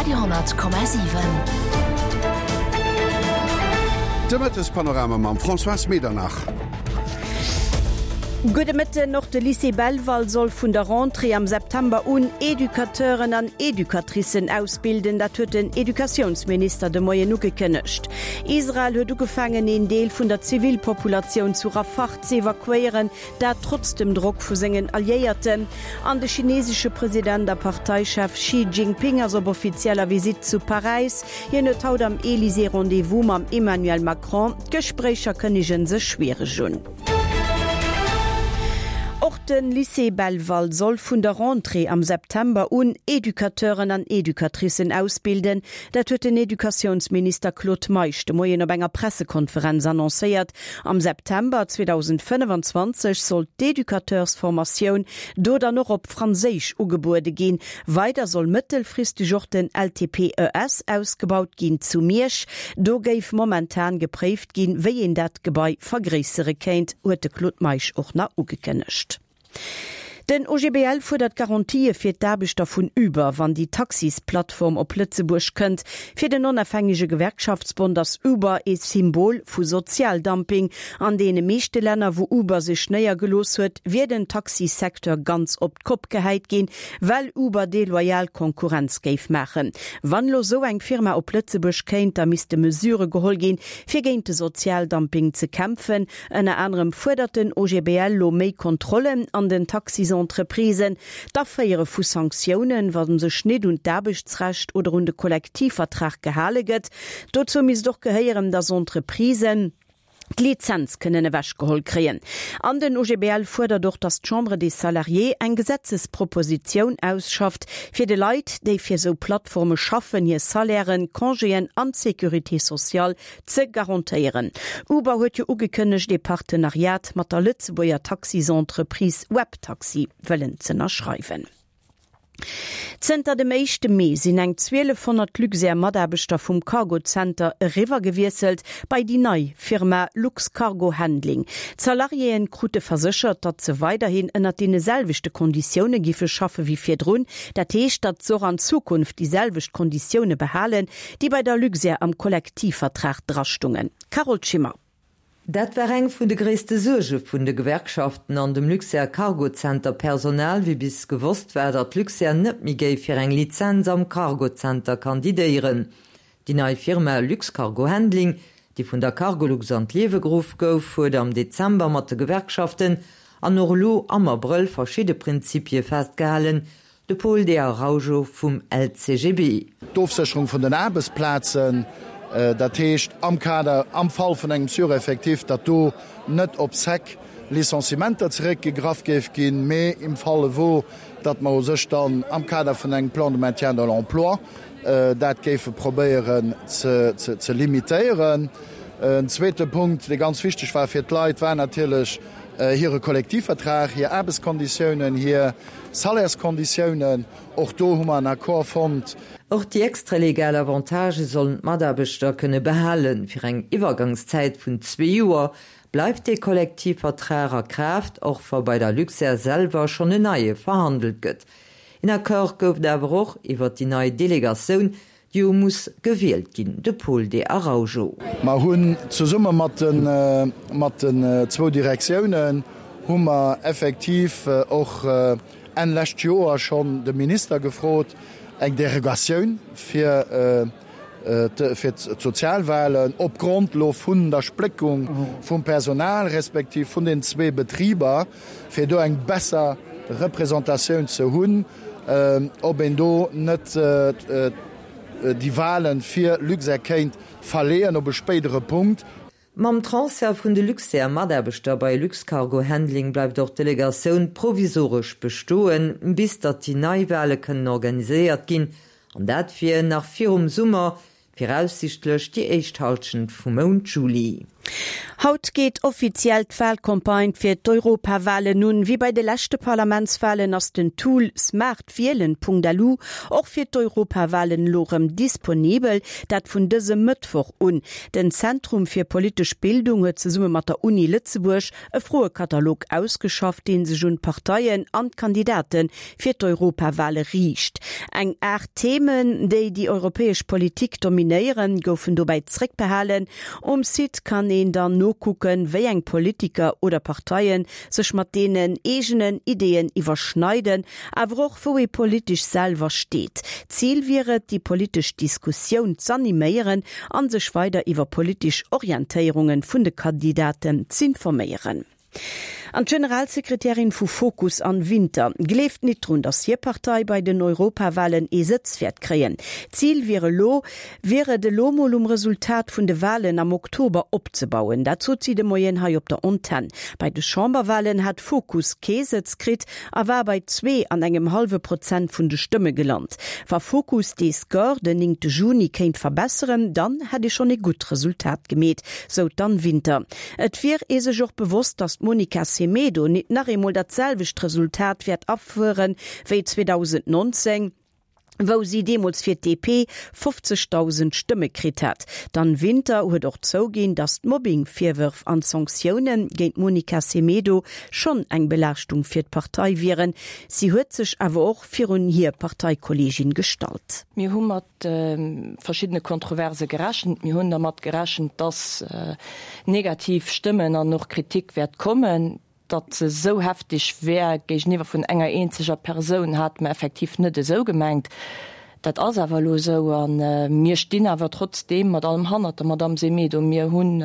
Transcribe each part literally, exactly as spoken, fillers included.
Radio honnert Komma siwen. De Mëttespanorama mam Françoise Medernach. Gudde Mëtten. Och de Lycée Belval soll vun der Rentrée am September un Educateuren an Educatricen ausbilden. Dat huet den Educatiounsminister de Moien ugekënnegt. Israel huet ugefaangen, een Deel vun der Zivilpopulatioun zu Rafah ze evakuéieren, dat trotz dem Drock vu sengen Alliéierten. An de chinesesche President a Parteichef Xi Jinping ass op offizieller Visitt zu Paräis. Hien huet haut am Elysée Rendez-vous mam Emmanuel Macron. D'Gespréicher kënnege sech schwiereg un. Och de Lycée Belval soll vun der Rentrée am September un Educateuren an Educatricen ausbilden. Dat huet den Educatiounsminister Claude Meisch de Moien op enger Pressekonferenz annoncéiert. Am September zweedausendfënnefenzwanzeg soll d'Educateursformatioun do dann och op Franséisch ugebuede ginn. Weider soll mëttelfristeg och den L T P E S ausgebaut ginn zu Miersch. Do géif momentan gepréift ginn, wéi een dat Gebai vergréissere kéint, huet de Claude Meisch och nach ugekënnegt. Den O G B L fuerdert Garantië fir d'Aarbechter vun Uber, wann déi Taxisplattform op Lëtzebuerg kënnt. Fir den onofhängege Gewerkschaftsbond ass Uber ee Symbol vu Sozialdumping. An deene meeschte Länner, wou Uber sech néiergelooss huet, wier den Taxisecteur ganz op d'Kopp gehäit ginn, well Uber deloyal Konkurrenz géif maachen. Wann lo sou eng Firma op Lëtzebuerg kéint, da misste Mesurë geholl ginn, fir géint de Sozialdumping ze kämpfen. Ënner anerem fuerdert den O G B L lo méi Kontrollen an den Taxisentreprisen, d'Aféiere vu Sanktiounen, wa sech net un d'Aarbechtsrecht oder un de Kollektivvertrag gehale gëtt. Dozou misst och gehéieren, datt Entreprisen d'Lizenz kënnen ewechgeholl kréien. An den O G B L fuerdert och, datt d'Chambre des Salariés eng Gesetzespropositioun ausschafft, fir de Leit, déi fir sou Plattforme schaffen, hir Salairen, Congéen an d'Sécurité sociale ze garantéieren. Uber huet jo ugekënnegt, e Partenariat mat der Lëtzebuerger Taxisentreprise Webtaxi wëllen z'ënnerschreiwen. Zënter dem éischte Mee sinn eng zwielefhonnert Luxair-Mataarbechter vum Cargo-Center eriwwergewiesselt bei déi nei Firma Luxcargo Handling. D'Salariéen krute verséchert, datt se weiderhin ënnert deene selwechte Konditioune giffe schaffe wéi virdrun. Dat heescht, datt se och an Zukunft déi selwecht Konditioune behalen, déi bei der Luxair am Kollektivvertrag drastungen. Carole Schimmer. Dat war eng vun de gréisste Suerge vun de Gewerkschaften an dem Luxair Cargo Center Personal, wéi bis gewosst war, datt Luxair net méi géif fir eng Lizenz am Cargo Center kandidéieren. Déi nei Firma Luxcargo Handling, déi vun der Cargolux an d'Liewe geruff gouf, huet am Dezember mat de Gewerkschaften an och elo am Abrëll verschidde Prinzipie festgehalen, de Paul de Araujo vum L C G B. D'Ofsécherung vun den Aarbechtsplazen, dat heescht am Kader, am Fall vun engem Sureffectif, datt do net op sec Licenciementer zeréckgegraff géif ginn, mee im Falle wou, datt mer u sech dann am Kader vun engem Plan de maintien de l'emploi dat géife probéieren ze ze limitéieren. En zweete Punkt, dee ganz wichteg war fir d'Leit, war natierlech hire Kollektivvertrag, hir Aarbechtskonditiounen, hir Salärskonditiounen. Och do hu mer en Accord fonnt. Och déi extralegal Avantagë sollen d'Mataarbechter kënne behalen. Fir eng Iwwergangszäit vun zwee Joer bleift de Kollektivvertrag a Kraaft, och wa bei der Luxair selwer schonn en neie verhandelt gëtt. En Accord gouf et awer och iwwer déi nei Delegatioun, déi jo muss gewielt ginn, de Paul de Araujo. Mer hunn zesumme mat den mat den zwou Direktiounen hu mer effektiv och Enn lescht Joer schonn de Minister gefrot, eng Derogatioun fir fir d'Sozialwahlen opgrond lo vun der Spléckung vum Personal respektiv vun den zwee Betriber, fir do eng besser Representatioun ze hunn, ob een do net déi Wahlen fir Luxair kéint verleeën op e spéidere Punkt. Mam Transfert vun de Luxair-Mataarbechter bei Luxcargo Handling bleift och d'Delegatioun provisoresch bestoen, bis datt déi nei Wahle kënnen organiséiert ginn, an dat wier nach virum Summer. Viraussiichtlech déi éischt Hallschent vum Mount Juli. Haut geet offiziell d'Walcampagne fir d'Europawalen un. Wéi bei de leschte Parlamentswalen ass den Tool smartwielen.lu och fir d'Europawalen elo rëm disponibel, dat vun dësem Mëttwoch un. Den Zentrum fir politesch Bildung huet zesumme mat der Uni Lëtzebuerg e Froekatalog ausgeschafft, dee sech un d'Parteien an d'Kandidate fir d'Europawale riicht. Eng aacht Themen, déi déi europäesch Politik dominéieren, goufen dobäi zréckbehalen. Um Site kann een dann nokucken, wéi eng Politiker oder Parteien sech mat deenen eegenen Ideeën iwwerschneiden, awer och wou ee politesch selwer steet. Zil wier et, déi politesch Diskussioun z'animéieren an sech weider iwwer politesch Orientéierunge vun de Kandidaten z'informéieren. An d'Generalsekretärin vu Fokus, Anne Winter, gleeft nit drun, datt hir Partei bei den Europawalen ee Sëtz wäert kréien. Zil wier elo, wier et elo mol um Resultat vun de Walen am Oktober opzebauen. Dat sot si de Moien hei op der Antenn. Bei de Chamberwalen hat Fokus kee Sëtz kritt a war bei zwee an engem hallwe Prozent vun de Stëmme gelant. Wa Fokus dee Score den néngte Juni kéint verbesseren, dann hätt ee schonn ee gutt Resultat gemeet, sou d'Anne Winter. Et wier ee sech och bewosst, datt d'Monica Semedo nit nach eemol dat selwecht Resultat wäert afueren wéi zweedausendnonzéng, wou si deemools fir d'D P fofzegdausend Stëmme kritt hat. D'Anne Winter huet och zouginn, datt d'Mobbing-Virwërf an d'Sanktioune géint d'Monica Semedo schonn eng Belaaschtung fir d'Partei wieren. Si huet sech awer och virun hir Parteikolleegin gestallt. Mir hu mat verschiddene Kontroverse gerechent. Mir hunn dermat gerechent, dass negativ Stëmmen an och Kritik wäert kommen. Datt se esou hefteg wär géigeniwwer vun enger eenzeger Persoun, hate mer effektiv net esou gemengt. Dat ass awer elo esou a mir stinn awer trotzdeem mat allem hannert der Madamm Semedo. Mir hunn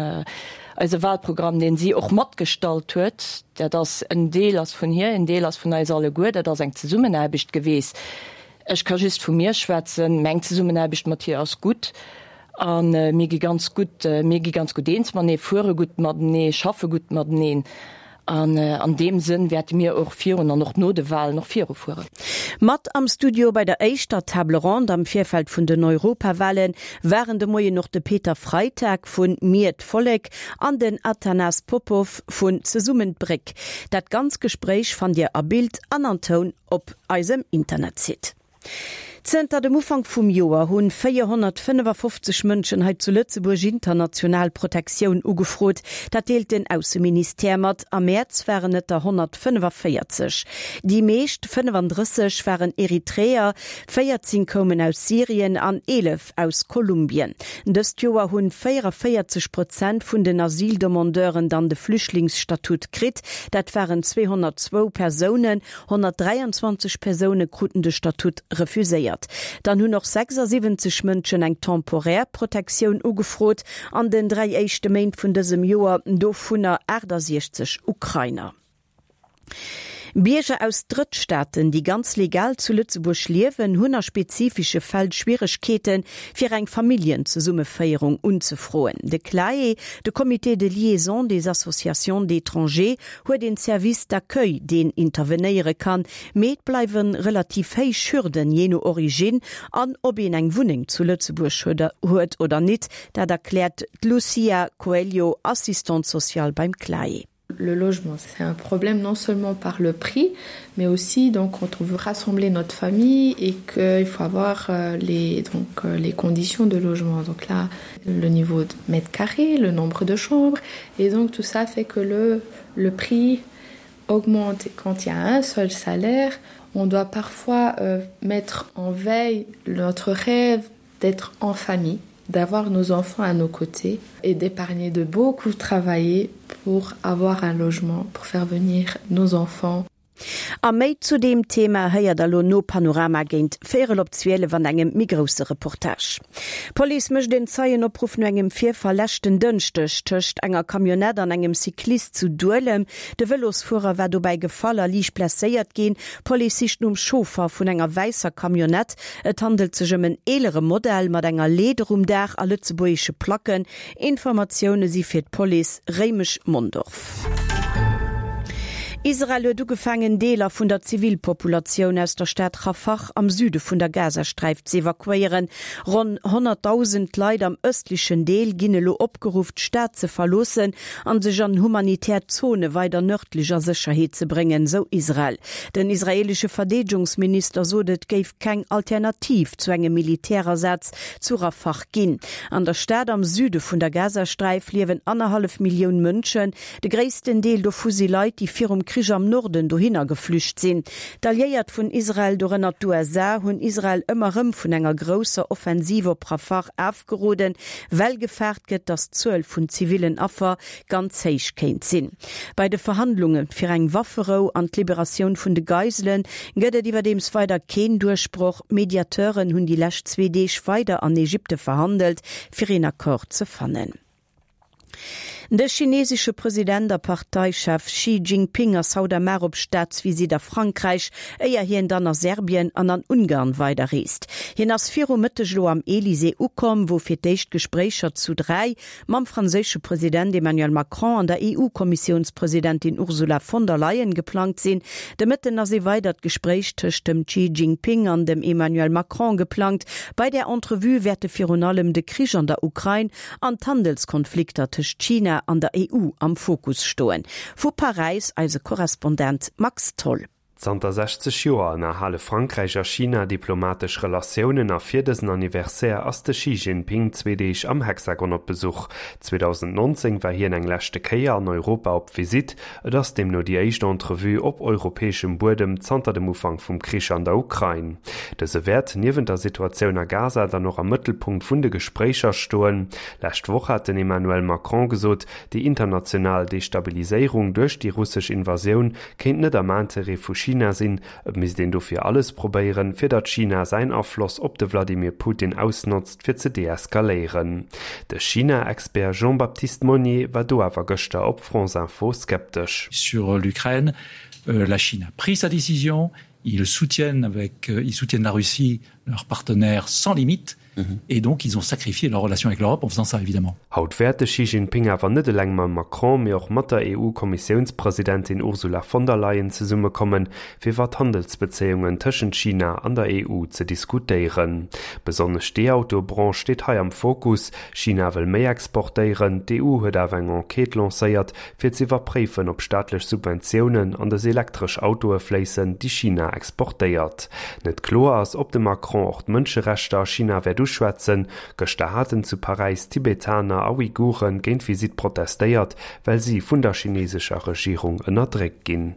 eise Wahlprogramm, deen si och matgestallt huet, dat ass en Deel ass vun hir, en Deel ass vun eis alleguer, dat ass eng Zesummenaarbecht geweest. Ech ka just vu mir schwätzen, meng Zesummenaarbecht mat hir ass gutt a mir gi ganz gutt, mir gi ganz gutt eens matenee, fuere gutt matenee, schaffe gutt mateneen. An an deem Sënn wäerte mir och virun an och no de Wahlen och virufueren. Mat am Studio bei der éischter Table ronde am Virfeld vun den Europawale waren de Moien och de Peter Freitag vun Mir d'Vollek an den Atanas Popov vun Zesummen d'Bréck. Dat ganz Gespréich fannt Dir a Bild an an Toun op eisem Internetsite. Zënter dem Ufank vum Joer hunn véierhonnertfënnefafofzeg Mënschen hei zu Lëtzebuerg international Protektioun ugefrot. Dat deelt den Ausseministère mat. Am Mäerz waren et der honnertfënnefaféierzeg. Déi meescht, fënnefandrësseg, waren Eritreer, véierzéng koumen aus Syrien an eelef aus Kolumbien. Dëst Joer hunn véiereféierzeg Prozent vun den Asyldemandeuren dann de Flüchtlingsstatut kritt. Dat waren zweehonnertzwou Persounen. Honnertdräianzwanzeg Persoune kruten de Statut refuséiert. Dann hunn och sechsasiwwenzeg Mënschen eng temporär Protektioun ugefrot an den dräi éischte Méint vun dësem Joer, dovunner aachtasechzeg Ukrainer. Bierger aus Drëttstaaten, déi ganz legal zu Lëtzebuerg liewen, hunn a spezifesche Fäll Schwieregkeeten, fir eng Familljenzesummeféierung unzefroen. De CLAE, de Comité de liaison des associations d'étrangers, huet een Service d'accueil, deen intervenéiere kann, mee et bleiwe relativ héich Hürden, jee no Originn an ob een eng Wunneng zu Lëtzebuerg huet oder nit, dat erkläert d'Lucia Coelho, Assistante sociale beim CLAE. Le logement, c'est un problème non seulement par le prix, mais aussi donc quand on veut rassembler notre famille et qu'il faut avoir euh, les, donc, euh, les conditions de logement. Donc là, le niveau de mètres carrés, le nombre de chambres, et donc tout ça fait que le, le prix augmente. Et quand il y a un seul salaire, on doit parfois euh, mettre en veille notre rêve d'être en famille, d'avoir nos enfants à nos côtés et d'épargner, de beaucoup travailler pour avoir un logement, pour faire venir nos enfants. A méi zu deem Thema héiert der lo no Panorama géint véierel op zwielef an engem méi grousse Reportage. D'Police mécht een Zeienopruff no engem Virfall leschten Dënschdeg tëscht enger Camionnette an engem Cyclist zu Duelem. De Vëlosfuerer war dobäi gefall a liicht blesséiert ginn. D'Police sicht nom Chauffer vun enger wäisser Camionnette. Et handelt sech ëm en eelere Modell mat enger Leeder um Daach a lëtzebuergesche Placken. Informatioune si fir d'Police Réimech-Mondorf. Israel huet ugefaangen, Deeler vun der Zivilpopulatioun aus der Stad Rafah am Süde vun der Gazasträif z'evakuéieren. Ronn honnertdausend Leit am ëstlechen Deel ginn elo opgeruff, d'Stad ze verloossen an sech an humanitär Zone weider nërdlech a Sécherheet ze bréngen, sou Israel. Den israeelesche Verdeedegungsminister sot, et géif keng Alternativ zu engem Militärasaz zu Rafah ginn. An der Stad am Süde vun der Gazasträif liewen annerhallef Millioun Mënschen. De gréissten Deel dovu si Leit, déi virum Krich am Norden dohinner geflücht sinn. D'Alliéiert vun Israel, dorënner d'USA, hunn Israel ëmmer erëm vun enger grousser Offensiv op Rafah afgeroden, well gefaart gëtt, datt d'Zuel vun zivillen Affer ganz héich kéint sinn. Bei de Verhandlunge fir eng Wafferou an d'Liberatioun vun de Geisele gëtt et iwwerdeems weider keen Duerchbroch. Mediateuren hunn déi lescht zwee Deeg weider an Ägypte verhandelt, fir een Accord ze fannen. De chinesesche President a Parteichef Xi Jinping ass haut a mar op Staatsvisitt a Frankräich, éier hien dann a Serbien an an Ungarn weiderreest. Hien ass viru Mëtteg elo am Elysée ukomm, wou fir d'éischt Gespréicher zu dräi mam franséische President Emmanuel Macron an der EU-Kommissiounspresidentin Ursula von der Leyen geplangt sinn. De Mëtten ass ee weidert Gespréich tëscht dem Xi Jinping an dem Emmanuel Macron geplangt. Bei där Entrevue wäerte virun allem de Krich an der Ukrain an d'Handelskonflikter tëscht China an der EU am Fokus stoen. Vu Paräis eise Korrespondent Max Tholl. Zanter sechzeg Joer ënnerhale Frankräich a China diplomatesch Relatiounen a fir dësen Anniversaire ass de Xi Jinping zwee Deeg am Hexagon op Besuch. zweedausendnonzéng war hien eng leschte Kéier an Europa op Visitt, et ass deemno déi éischt Entrevue op europäeschem Buedem zanter dem Ufank vum Krich an der Ukrain. Dëse wäert niewent der Situatioun a Gaza dann och am Mëttelpunkt vun de Gespréicher stoen. Lescht Woch hat den Emmanuel Macron gesot, déi international Destabiliséierung duerch déi russesch Invasioun kéint net am Interêt vu China sinn. Et misst een dofir alles probéieren, fir datt China säin Afloss op de Vladimir Putin ausnotzt, fir ze deeskaléieren. De China-Expert Jean-Baptiste Maunier war do awer gëschter op France Info skeptesch. Sur l'Ukraine, la Chine a pris sa décision, ils soutiennent avec, ils soutiennent la Russie, leur partenaire sans limite, et donc ils ont sacrifié leur relation avec l'Europe en faisant ça évidemment. Haut wäert de Xi Jinping awer net eleng mam Macron, mee och mat der EU-Kommissiounspresidentin Ursula von der Leyen zesummekommen, fir iwwer d'Handelsbezéiungen tëschent China an der E U ze diskutéieren. Besonnesch d'E-Auto-Branche steet hei am Fokus. China wëll méi exportéieren, d'E U huet awer eng Enquête lancéiert, fir ze iwwerpréifen, ob staatlech Subventiounen an dës elektresch Autoe fléissen, déi China exportéiert. Net kloer ass, ob de Macron och d'Mënscherechter a China wäert uschwätzen. Gëschter haten zu Paräis Tibetaner a Uiguren géint d'Visitt protestéiert, well si vun der chinesescher Regierung ënnerdréckt ginn.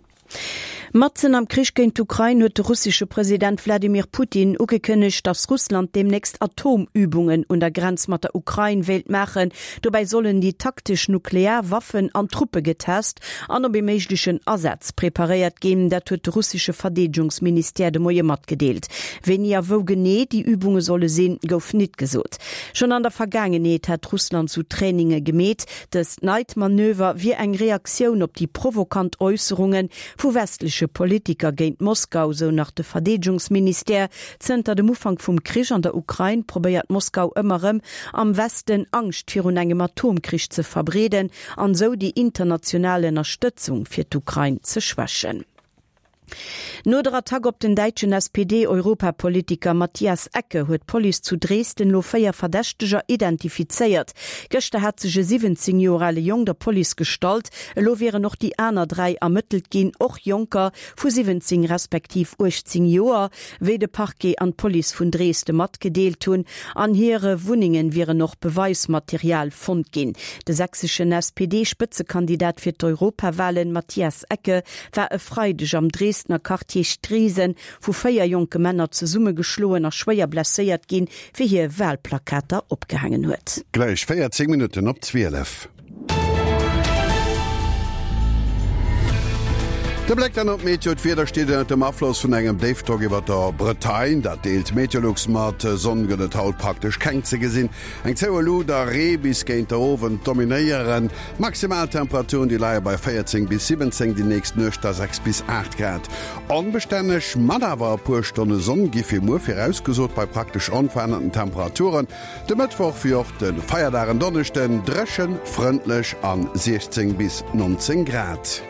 Matzen am Krich géint d'Ukrain huet de russesche President Wladimir Putin ugekënnegt, datt Russland deemnächst Atomübungen un der Grenz mat der Ukrain wéilt maachen. Dobäi sollen déi taktesch nuklear Waffen an Truppe getest an op ee méiglechen Asaz preparéiert ginn. Dat huet de russesche Verdeedegungsministère de Moie matgedeelt. Wéini a wou genee déi Übunge solle sinn, gouf nit gesot. Schonn an der Vergaangenheet hat Russland sou Traininge gemeet. Dëst neit Manöver wier eng Reaktioun op déi provokant Äusserunge vu westleche Politiker géint Moskau, sou nach de Verdeedegungsministère. Zënter dem Ufank vum Krich an der Ukrain probéiert Moskau ëmmer erëm, am Westen Angscht virun engem Atomkrich ze verbreeden an esou déi international Ënnerstëtzung fir d'Ukrain ze schwächen. No der Attack op den däitschen S P D-Europapolitiker Matthias Ecke huet d'Police zu Dresden lo véier Verdächteger identifizéiert. Gëschter hat sech e siwwenzéng Joer ale Jong der Police gestallt. Elo wieren och déi aner dräi ermëttelt ginn, och Jonker vu siwwenzéng respektiv uechtzéng Joer, wéi de Parquet an d'Police vun Dresde matgedeelt hunn. An hire Wunnenge wieren och Beweismaterial fonnt ginn. De sächseschen S P D-Spëtzekandidat fir d'Europawalen Matthias Ecke war e Freideg am Dresdner Quartier Striesen vu véier jonke Männer zesummegeschloen a schwéier blesséiert ginn, wéi hie Walplakater opgehaangen huet. Gläich véierzéng Minutten op zwielef. De Bléck dann op d'Meteo, D'Wieder steet ënnert dem Afloss vun engem Déifdrock iwwer der Bretagne. Dat deelt Meteolux mat. Sonn gëtt et haut praktesch keng ze gesinn. Eng zoue Lut a Ree bis géint der Owend dominéieren. D'Maximaltemperaturen déi leie bei véierzéng bis siwwenzéng, déi nächst Nuecht da sechs bis aacht Grad. Onbestänneg, mat awer e puer Stonne Sonn gi fir muer virausgesot bei praktesch onverännerten Temperaturen. De Mëttwoch wéi och de Feierdag en Donneschden dréchen, frëndlech an siechzéng bis nonzéng Grad.